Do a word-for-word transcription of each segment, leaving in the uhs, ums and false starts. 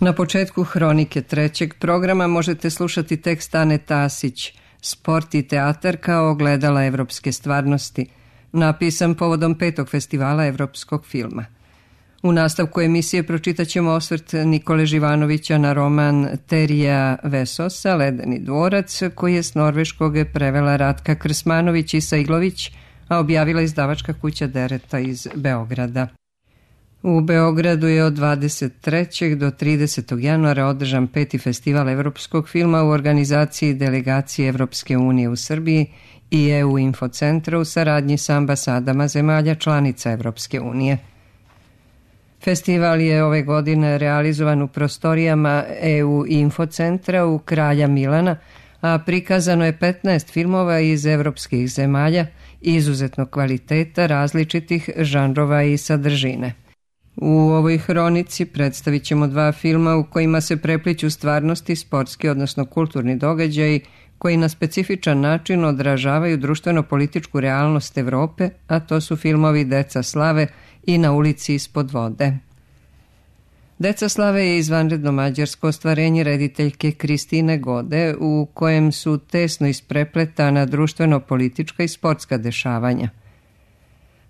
Na početku hronike trećeg programa možete slušati tekst Ane Tasić, Sport i teatar kao ogledala evropske stvarnosti, napisan povodom petog festivala evropskog filma. U nastavku emisije pročitat ćemo osvrt Nikole Živanovića na roman Terija Vesosa, Ledeni dvorac, koji je s norveškog prevela Ratka Krsmanović i Sajglović, a objavila izdavačka kuća Dereta iz Beograda. U Beogradu je od dvadeset trećeg do tridesetog januara održan peti festival evropskog filma u organizaciji delegacije Evropske unije u Srbiji i E U Infocentra u saradnji sa ambasadama zemalja članica Evropske unije. Festival je ove godine realizovan u prostorijama E U Infocentra u Kralja Milana, a prikazano je petnaest filmova iz evropskih zemalja izuzetnog kvaliteta, različitih žanrova i sadržine. U ovoj hronici predstavit ćemo dva filma u kojima se prepliću stvarnosti, sportski odnosno kulturni događaji koji na specifičan način odražavaju društveno-političku realnost Evrope, a to su filmovi Deca slave i Na ulici ispod vode. Deca slave je izvanredno mađarsko ostvarenje rediteljke Kristine Gode u kojem su tesno isprepletana društveno-politička i sportska dešavanja.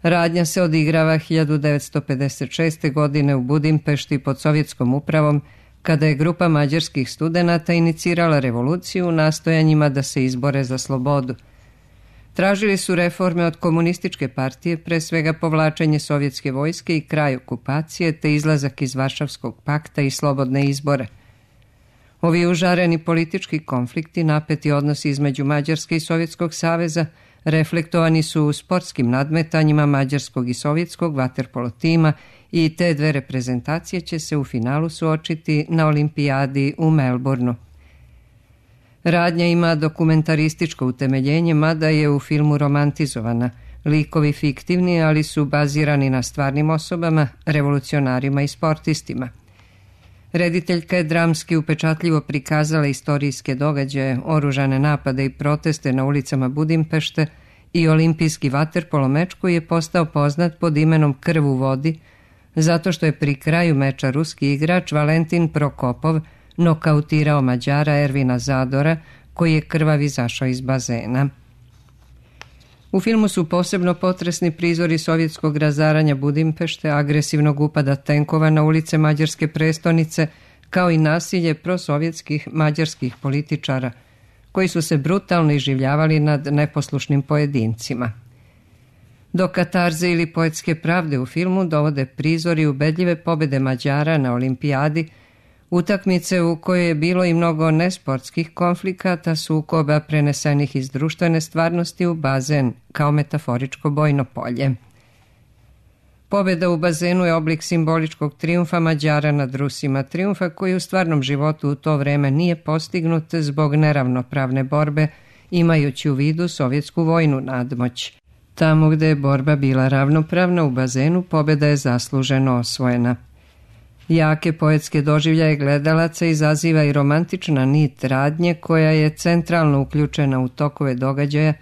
Radnja se odigrava hiljadu devetsto pedeset šeste. godine u Budimpešti pod sovjetskom upravom, kada je grupa mađarskih studenata inicirala revoluciju u nastojanjima da se izbore za slobodu. Tražili su reforme od komunističke partije, pre svega povlačenje sovjetske vojske i kraj okupacije, te izlazak iz Varšavskog pakta i slobodne izbore. Ovi užareni politički konflikti, napeti odnosi između Mađarske i Sovjetskog saveza, reflektovani su u sportskim nadmetanjima mađarskog i sovjetskog vaterpolo tima i te dve reprezentacije će se u finalu suočiti na olimpijadi u Melbourneu. Radnja ima dokumentarističko utemeljenje, mada je u filmu romantizovana. Likovi fiktivni, ali su bazirani na stvarnim osobama, revolucionarima i sportistima. Rediteljka je dramski upečatljivo prikazala istorijske događaje, oružane napade i proteste na ulicama Budimpešte i olimpijski vaterpolo meč koji je postao poznat pod imenom Krv u vodi, zato što je pri kraju meča ruski igrač Valentin Prokopov nokautirao Mađara Ervina Zadora, koji je krvav izašao iz bazena. U filmu su posebno potresni prizori sovjetskog razaranja Budimpešte, agresivnog upada tenkova na ulice mađarske prestonice, kao i nasilje prosovjetskih mađarskih političara, koji su se brutalno iživljavali nad neposlušnim pojedincima. Do katarze ili poetske pravde u filmu dovode prizori ubedljive pobede Mađara na olimpijadi, utakmice u kojoj je bilo i mnogo nesportskih konflikata, sukoba prenesenih iz društvene stvarnosti u bazen kao metaforičko bojno polje. Pobeda u bazenu je oblik simboličkog trijumfa Mađara nad Rusima, trijumfa koji u stvarnom životu u to vreme nije postignut zbog neravnopravne borbe, imajući u vidu sovjetsku vojnu nadmoć. Tamo gde je borba bila ravnopravna u bazenu, pobeda je zasluženo osvojena. Jake poetske doživljaje gledalaca izaziva i romantična nit radnje koja je centralno uključena u tokove događaja,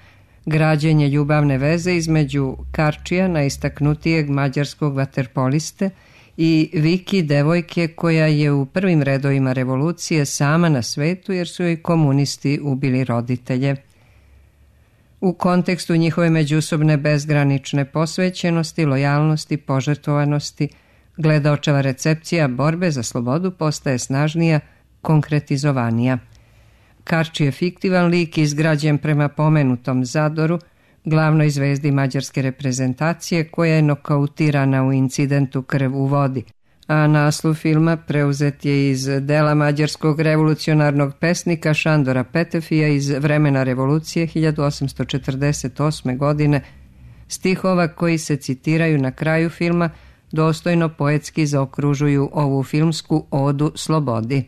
građenje ljubavne veze između Karčija, najistaknutijeg mađarskog vaterpoliste, i Viki, devojke koja je u prvim redovima revolucije sama na svetu jer su joj komunisti ubili roditelje. U kontekstu njihove međusobne bezgranične posvećenosti, lojalnosti, požrtvovanosti, gledaočeva recepcija borbe za slobodu postaje snažnija, konkretizovanija. Karči je fiktivan lik izgrađen prema pomenutom Zadoru, glavnoj zvezdi mađarske reprezentacije koja je nokautirana u incidentu Krv u vodi, a naslov filma preuzet je iz dela mađarskog revolucionarnog pesnika Šandora Petefija iz vremena revolucije hiljadu osamsto četrdeset osme. godine, stihova koji se citiraju na kraju filma dostojno poetski zaokružuju ovu filmsku odu slobodi.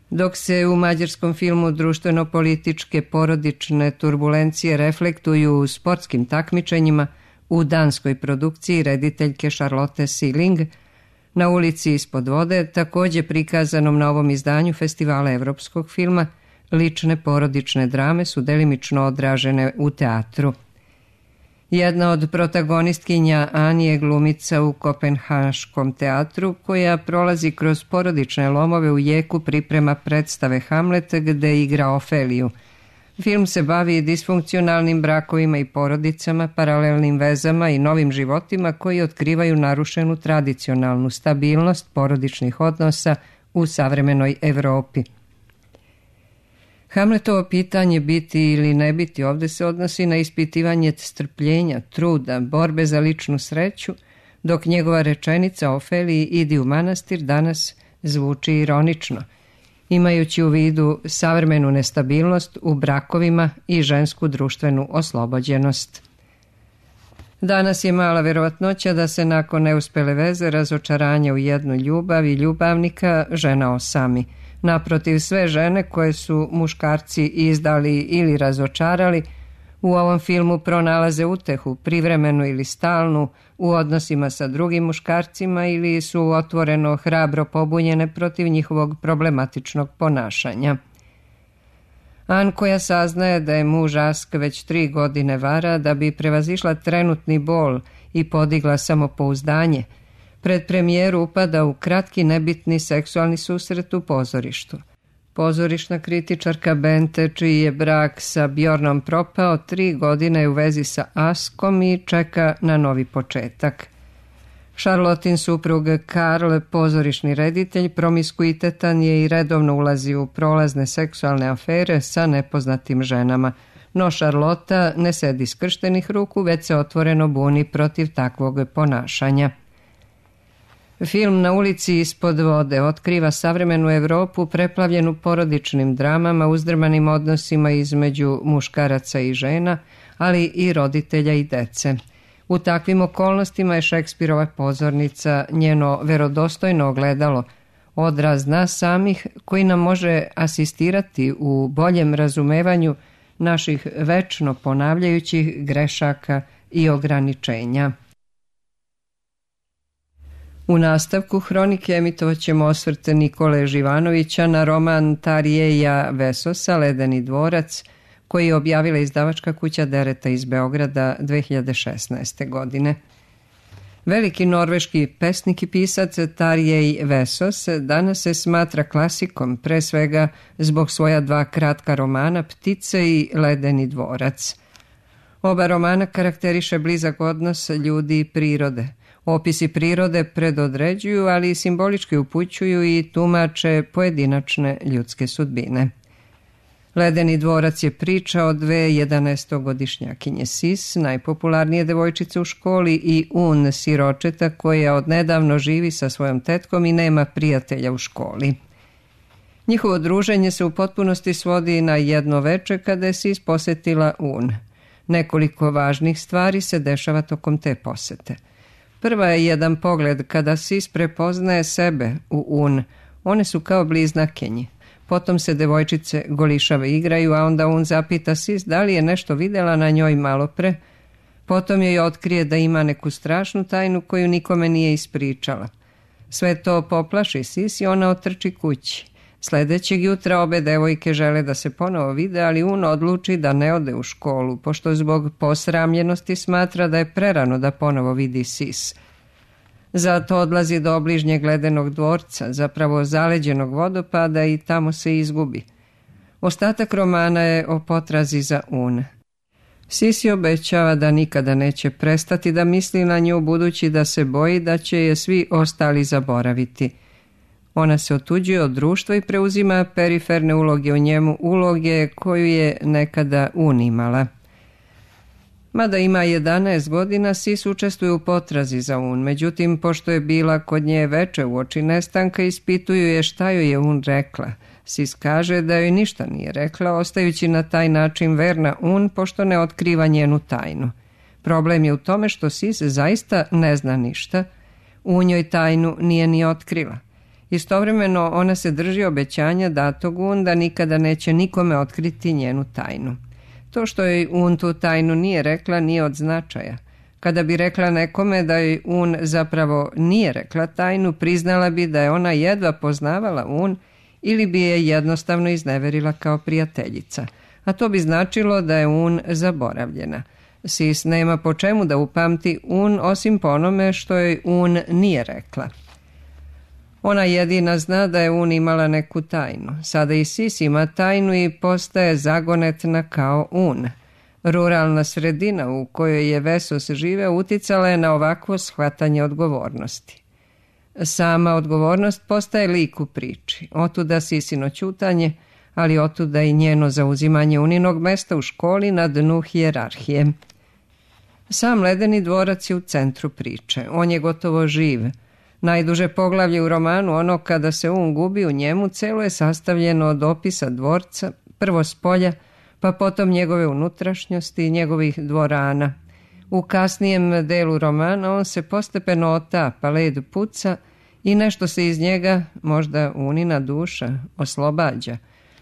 Dok se u mađarskom filmu društveno-političke porodične turbulencije reflektuju u sportskim takmičenjima, u danskoj produkciji rediteljke Charlotte Siling Na ulici ispod vode, također prikazanom na ovom izdanju Festivala evropskog filma, lične porodične drame su delimično odražene u teatru. Jedna od protagonistkinja Ani je glumica u Kopenhaškom teatru koja prolazi kroz porodične lomove u jeku priprema predstave Hamlet gde igra Ofeliju. Film se bavi disfunkcionalnim brakovima i porodicama, paralelnim vezama i novim životima koji otkrivaju narušenu tradicionalnu stabilnost porodičnih odnosa u savremenoj Evropi. Hamletovo pitanje biti ili ne biti ovdje se odnosi na ispitivanje strpljenja, truda, borbe za ličnu sreću, dok njegova rečenica Ofeliji idi u manastir danas zvuči ironično, imajući u vidu savremenu nestabilnost u brakovima i žensku društvenu oslobođenost. Danas je mala verovatnoća da se nakon neuspele veze, razočaranja u jednu ljubav i ljubavnika žena osami. Naprotiv, sve žene koje su muškarci izdali ili razočarali u ovom filmu pronalaze utehu, privremenu ili stalnu, u odnosima sa drugim muškarcima ili su otvoreno hrabro pobunjene protiv njihovog problematičnog ponašanja. An, koja saznaje da je muž Ask već tri godine vara da bi prevazišla trenutni bol i podigla samopouzdanje, pred premijeru upada u kratki nebitni seksualni susret u pozorištu. Pozorišna kritičarka Bente, čiji je brak sa Bjornom propao, tri godine je u vezi sa Askom i čeka na novi početak. Charlottin suprug Karl, pozorišni reditelj, promiskuitetan je i redovno ulazi u prolazne seksualne afere sa nepoznatim ženama, no Charlotta ne sedi skrštenih ruku, već se otvoreno buni protiv takvog ponašanja. Film Na ulici ispod vode otkriva savremenu Evropu preplavljenu porodičnim dramama, uzdrmanim odnosima između muškaraca i žena, ali i roditelja i dece. U takvim okolnostima je Šekspirova pozornica njeno verodostojno ogledalo, odraz nas samih koji nam može asistirati u boljem razumevanju naših večno ponavljajućih grešaka i ograničenja. U nastavku hronike emitovat ćemo osvrt Nikole Živanovića na roman Tarijeja Vesosa Ledeni dvorac, koji je objavila izdavačka kuća Dereta iz Beograda dve hiljade šesnaeste. godine. Veliki norveški pesnik i pisac Tarjej Vesos danas se smatra klasikom, pre svega zbog svoja dva kratka romana Ptice i Ledeni dvorac. Oba romana karakteriše blizak odnos ljudi i prirode. Opisi prirode predodređuju, ali i simbolički upućuju i tumače pojedinačne ljudske sudbine. Ledeni dvorac je priča o dve jedanaestogodišnjakinje Sis, najpopularnije devojčice u školi, i Un, siročeta koja odnedavno živi sa svojom tetkom i nema prijatelja u školi. Njihovo druženje se u potpunosti svodi na jedno veče kada je Sis posetila Un. Nekoliko važnih stvari se dešava tokom te posete. Prva je jedan pogled kada Sis prepoznaje sebe u Un. One su kao bliznakinje. Potom se devojčice golišave igraju, a onda Un zapita Sis da li je nešto videla na njoj malo pre. Potom joj otkrije da ima neku strašnu tajnu koju nikome nije ispričala. Sve to poplaši Sis i ona otrči kući. Sljedećeg jutra obe devojke žele da se ponovo vide, ali Un odluči da ne ode u školu, pošto zbog posramljenosti smatra da je prerano da ponovo vidi Sis. Zato odlazi do obližnjeg ledenog dvorca, zapravo zaleđenog vodopada, i tamo se izgubi. Ostatak romana je o potrazi za Un. Sis je obećava da nikada neće prestati da misli na nju, budući da se boji da će je svi ostali zaboraviti. Ona se otuđuje od društva i preuzima periferne uloge u njemu, uloge koju je nekada Un imala. Mada ima jedanaest godina, Sis učestvuje u potrazi za Un. Međutim, pošto je bila kod nje veče uoči nestanka, ispituju je šta joj je Un rekla. Sis kaže da joj ništa nije rekla, ostajući na taj način verna Un, pošto ne otkriva njenu tajnu. Problem je u tome što Sis zaista ne zna ništa. Un joj tajnu nije ni otkrila. Istovremeno ona se drži obećanja datog Un da nikada neće nikome otkriti njenu tajnu. To što joj Un tu tajnu nije rekla nije od značaja. Kada bi rekla nekome da joj Un zapravo nije rekla tajnu, priznala bi da je ona jedva poznavala Un ili bi je jednostavno izneverila kao prijateljica. A to bi značilo da je Un zaboravljena. Sis nema po čemu da upamti Un osim po onome što joj Un nije rekla. Ona jedina zna da je Un imala neku tajnu. Sada i Sis ima tajnu i postaje zagonetna kao Un. Ruralna sredina u kojoj je Vesos živeo uticala je na ovakvo shvatanje odgovornosti. Sama odgovornost postaje lik u priči. Otuda Sisino ćutanje, ali otuda i njeno zauzimanje Uninog mesta u školi na dnu hijerarhije. Sam ledeni dvorac je u centru priče. On je gotovo živ. Najduže poglavlje u romanu, ono kada se Un gubi u njemu, celo je sastavljeno od opisa dvorca, prvo s polja, pa potom njegove unutrašnjosti i njegovih dvorana. U kasnijem delu romana on se postepeno otapa, led puca i nešto se iz njega, možda Unina duša, oslobađa.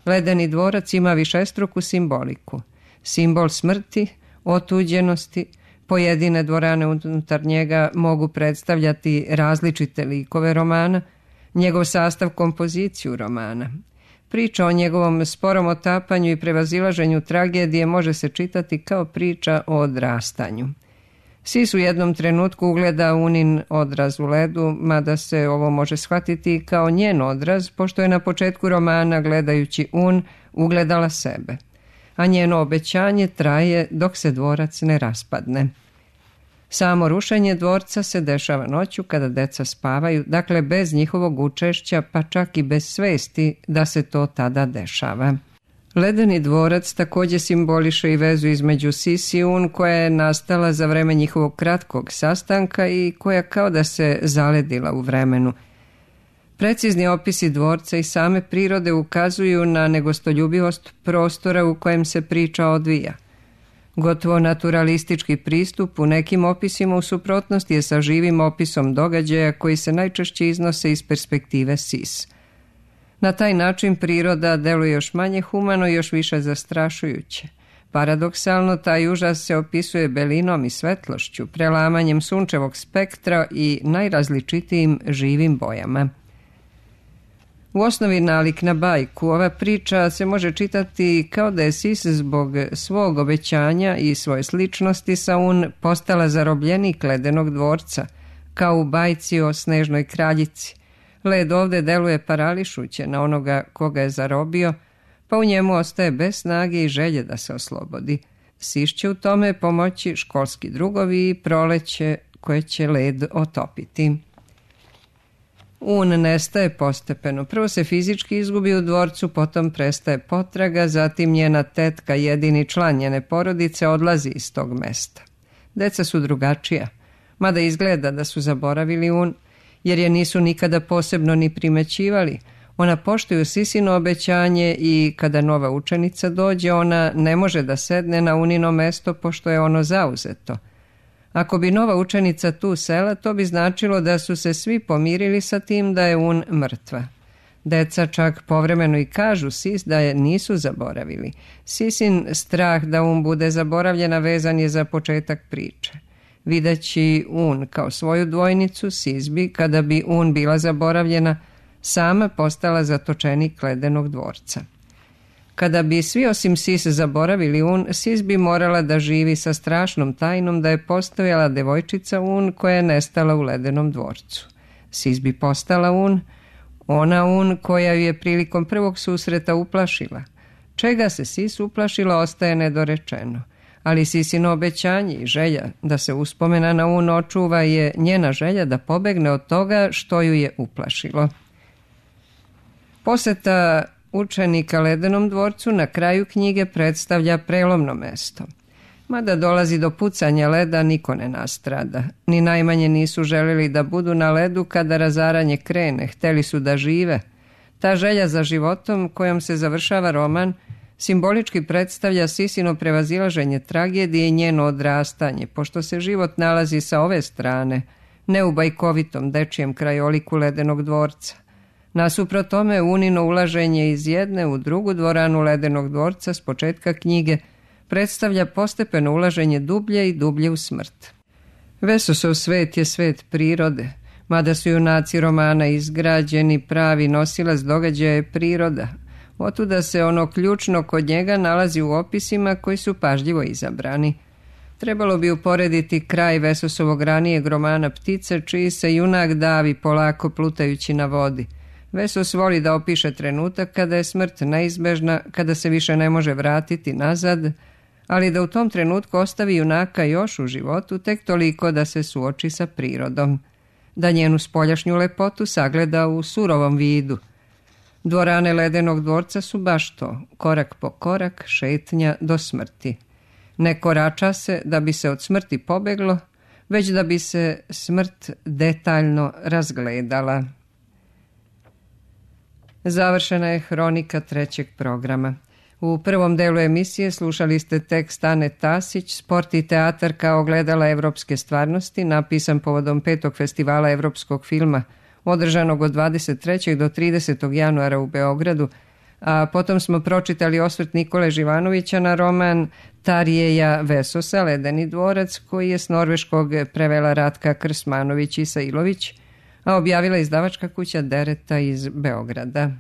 Ledeni dvorac ima višestruku simboliku. Simbol smrti, otuđenosti. Pojedine dvorane unutar njega mogu predstavljati različite likove romana, njegov sastav kompoziciju romana. Priča o njegovom sporom otapanju i prevazilaženju tragedije može se čitati kao priča o odrastanju. Sis u jednom trenutku ugleda Unin odraz u ledu, mada se ovo može shvatiti kao njen odraz, pošto je na početku romana, gledajući Un, ugledala sebe. A njeno obećanje traje dok se dvorac ne raspadne. Samo rušenje dvorca se dešava noću kada deca spavaju, dakle bez njihovog učešća, pa čak i bez svesti da se to tada dešava. Ledeni dvorac također simboliše i vezu između Sis i Un koja je nastala za vreme njihovog kratkog sastanka i koja kao da se zaledila u vremenu. Precizni opisi dvorca i same prirode ukazuju na negostoljubivost prostora u kojem se priča odvija. Gotovo naturalistički pristup u nekim opisima u suprotnosti je sa živim opisom događaja koji se najčešće iznose iz perspektive Sis. Na taj način priroda deluje još manje humano i još više zastrašujuće. Paradoksalno, taj užas se opisuje belinom i svetlošću, prelamanjem sunčevog spektra i najrazličitijim živim bojama. U osnovi nalik na bajku, ova priča se može čitati kao da je Sis zbog svog obećanja i svoje sličnosti sa Un postala zarobljenik ledenog dvorca, kao u bajci o Snežnoj kraljici. Led ovde deluje parališuće na onoga koga je zarobio, pa u njemu ostaje bez snage i želje da se oslobodi. Sis će u tome pomoći školski drugovi i proleće koje će led otopiti. Un nestaje postepeno. Prvo se fizički izgubi u dvorcu, potom prestaje potraga, zatim njena tetka, jedini član njene porodice, odlazi iz tog mesta. Deca su drugačija, mada izgleda da su zaboravili Un, jer je nisu nikada posebno ni primećivali. Ona poštuju Sisino obećanje i kada nova učenica dođe, ona ne može da sedne na Unino mesto pošto je ono zauzeto. Ako bi nova učenica tu sela, to bi značilo da su se svi pomirili sa tim da je Un mrtva. Deca čak povremeno i kažu Sis da je nisu zaboravili. Sisin strah da Un bude zaboravljena vezan je za početak priče. Videći Un kao svoju dvojnicu, Sis bi, kada bi Un bila zaboravljena, sama postala zatočenik ledenog dvorca. Kada bi svi osim Sis zaboravili Un, Sis bi morala da živi sa strašnom tajnom da je postojala devojčica Un koja je nestala u ledenom dvorcu. Sis bi postala Un, ona Un koja ju je prilikom prvog susreta uplašila. Čega se Sis uplašila ostaje nedorečeno, ali Sisino obećanje i želja da se uspomena na Un očuva je njena želja da pobegne od toga što ju je uplašilo. Poseta učenika ledenom dvorcu na kraju knjige predstavlja prelomno mesto. Mada dolazi do pucanja leda, niko ne nastrada. Ni najmanje nisu želeli da budu na ledu kada razaranje krene, hteli su da žive. Ta želja za životom kojom se završava roman simbolički predstavlja Sisino prevazilaženje tragedije i njeno odrastanje, pošto se život nalazi sa ove strane, ne u bajkovitom dečijem krajoliku ledenog dvorca. Nasuprot tome, Unino ulaženje iz jedne u drugu dvoranu ledenog dvorca s početka knjige predstavlja postepeno ulaženje dublje i dublje u smrt. Vesosov svet je svet prirode, mada su junaci romana izgrađeni, pravi nosilac događaja je priroda. Otuda se ono ključno kod njega nalazi u opisima koji su pažljivo izabrani. Trebalo bi uporediti kraj Vesosovog ranijeg romana Ptice, čiji se junak davi polako plutajući na vodi. Vesos voli da opiše trenutak kada je smrt neizbežna, kada se više ne može vratiti nazad, ali da u tom trenutku ostavi junaka još u životu, tek toliko da se suoči sa prirodom, da njenu spoljašnju lepotu sagleda u surovom vidu. Dvorane Ledenog dvorca su baš to, korak po korak, šetnja do smrti. Ne korača se da bi se od smrti pobeglo, već da bi se smrt detaljno razgledala. Završena je hronika trećeg programa. U prvom delu emisije slušali ste tekst Ane Tasić, Sport i teatar kao ogledala evropske stvarnosti, napisan povodom petog festivala evropskog filma, održanog od dvadeset trećeg do tridesetog januara u Beogradu, a potom smo pročitali osvrt Nikole Živanovića na roman Tarjeja Vesosa, Ledeni dvorac, koji je s norveškog prevela Ratka Krsmanović Isailović, a objavila izdavačka kuća Dereta iz Beograda.